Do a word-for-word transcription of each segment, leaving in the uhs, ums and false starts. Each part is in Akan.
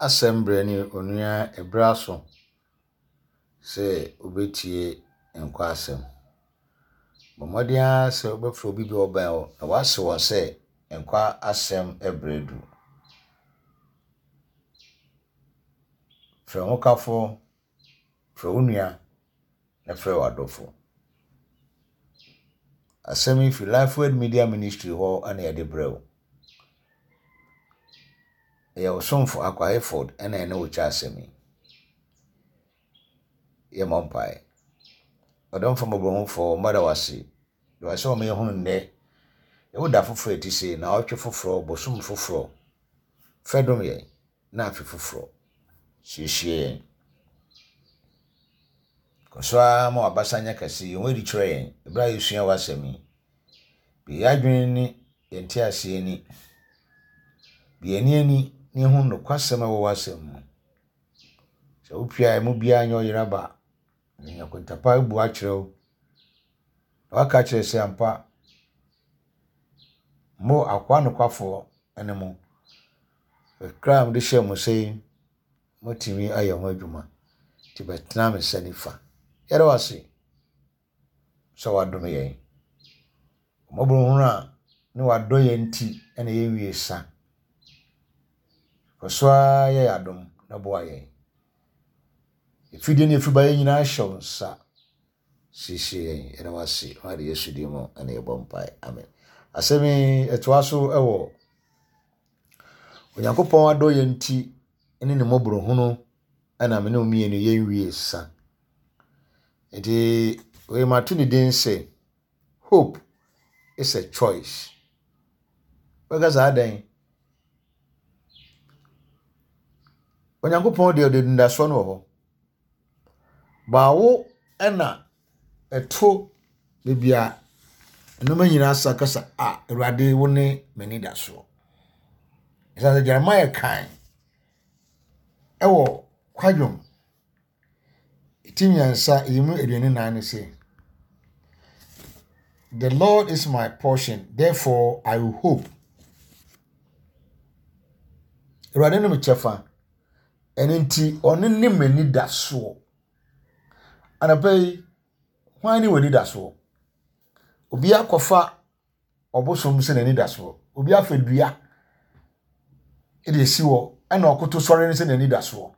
Asɛm berɛ ne onua ɛberɛ aso sɛ wobɛtie nkwa asɛm. Bɔ mmɔden ara sɛ wobɛfrɛ obi bi a ɔbɛn wo na woase wɔn sɛ nkwa asɛm berɛ du. Frɛ wo hokafoɔ, frɛ wo nua na frɛ w'adɔfo. Asɛm yi firi Lifeword Media Ministry hɔ na yɛde brɛ wo. Ɛyɛ wo somfo Akwa Hayford na ɛne wo kyɛ asɛm yi. Yɛmmɔ mpae. Ɔdomfo mmɔborɔhufoɔ, mada wo ase. Da wo ase sɛ wama yɛhunu nnɛ. Yɛwo da foforɔ a ɛte sei, naawɔtwe foforɔ, bosom foforɔ. Fɛ dom yɛn na afe foforɔ. Siesie yɛn. Kɔ so ara ma w'abasa nyɛ kɛse, yi wo ho adi kyerɛ yɛn ɛberɛ a yɛsua w'asɛm yi. Bue yɛn adwene ne yɛn nteaseɛ ani. Bue yɛn ani ani na yɛhu nokwasɛm a ɛwɔ w'asɛm mu. Sɛ wopue a emu biara nyɛ ɔyera ba. Na nya kontapa abu akyerɛ wo. Na waka akyerɛ sɛ ampa, mo akoa nokwafoɔ ne mo. Kakra a mede hyɛɛ mo nsa yi, moatumi ayɛ ho adwuma. Nti bɛtena me nsa nifa. Yɛda wo ase sɛ woadom yɛn. Mmɔborɔhunu a ne w'adɔeɛ nti na yɛnwie sa. Kɔ so ara yɛ yɛn adom na boa yɛn. Efidie ne efibayɛ nyinaa hyɛ wo nsa. Siesie yɛn. Yɛda wo ase. Wɔ Yesu din mu na yɛbɔ mpae. Amen. Asɛm yi ɛtoa so wɔ Onyankopɔn adɔeɛ nti ne ne mmɔborɔhunu na me ne wo mmienu yɛnwie sa. Nti wei mato ne din sɛ Hope is a choice. Bɛka saa dɛn? Onyankopɔn deɛ ɔde anidasoɔ no wɔ hɔ. Baawo ɛna ɛto baabi a nneɛma nyinaa sa kasa a Awurade wo ne m'anidasoɔ. Ɛsiane sɛ Jeremiah kan ɛwɔ kwadwom ti mmiɛnsa yi mu aduonu nan no sɛ, The Lord is my portion, therefore I will hope. Awurade ne me kyɛfa, ɛno nti ɔno ne m'anidasoɔ. Anɔpa yi, hwan ne w'anidasoɔ? Obi akɔfa ɔbosom sɛ n'anidasoɔ. Obi afa dua de esi hɔ ɛna ɔkoto sɔre no sɛ n'anidasoɔ.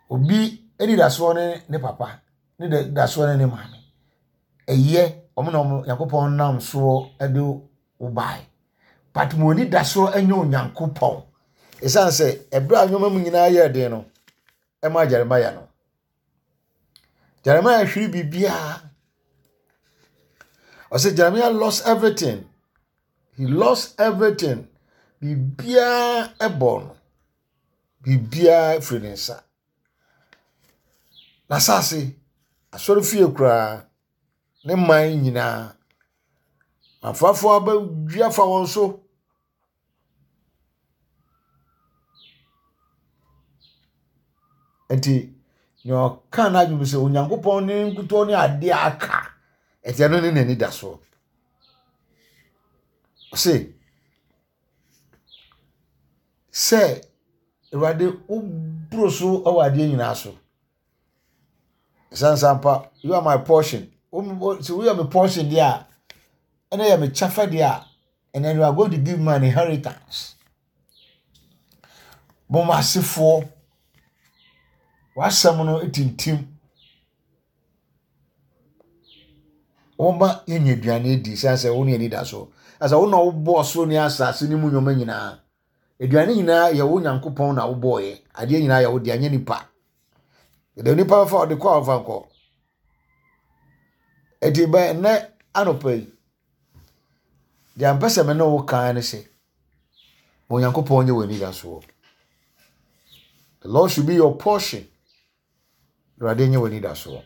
Obi anidasoɔ ne ne papa, ne dasoɔ ne ne maame. Ɛyɛ ɔmo na ɔmo Nyankopɔn nam soɔ de wo bae. But mo anidasoɔ nyɛ Onyankopɔn. Ɛsiane sɛ ɛberɛ a nneɛma mu nyinaa yɛɛ den no, ɛmaa Jeremiah no. Jeremiah hwere biribiara. Ɔsɛ Jeremiah lost everything. He lost everything. Biribiara ɛbɔ no. Biribiara firi ne nsa. N'asase, asɔrefie koraa, ne man nyinaa. Afafoɔ abɛdua fa wɔn so. Nti, nea ɔka n'adwene mu sɛ Onyankopɔn ne nkutoo ne adeɛ aka. Ɛnti ɛno ne n'anidasoɔ. Ɔse, sɛ Awurade woboro so wɔ adeɛ nyinaa so. Ɛsiane sɛ ampa, you are my portion. Sɛ woyɛ me portion deɛ a, ɛna yɛ me kyɛfa deɛ a, and then you are going to give me an inheritance. Mo asefoɔ, w'asɛm no tintim. Wɔma yɛnya aduane adi sɛ sɛ wo ne anidasoɔ. Ɛsɛ wo na wobɔɔ soro ne asase ne mu nneɛma nyinaa. Aduane nyinaa yɛ wo Nyankopɔn na wobɔɔyɛ. Adeɛ nyinaa yɛ wo deɛ, anyɛ nipa. Yɛde nipa bɛfa ɔde kɔ a ɔfa nkɔ. Eti bɛn nnɛ anɔpa yi, deɛ mpɛ sɛ me ne wo kan ne sɛ, ma Onyankopɔn nyɛ w'anidasoɔ. The Lord should be your portion. Awurade nyɛ w'anidasoɔ.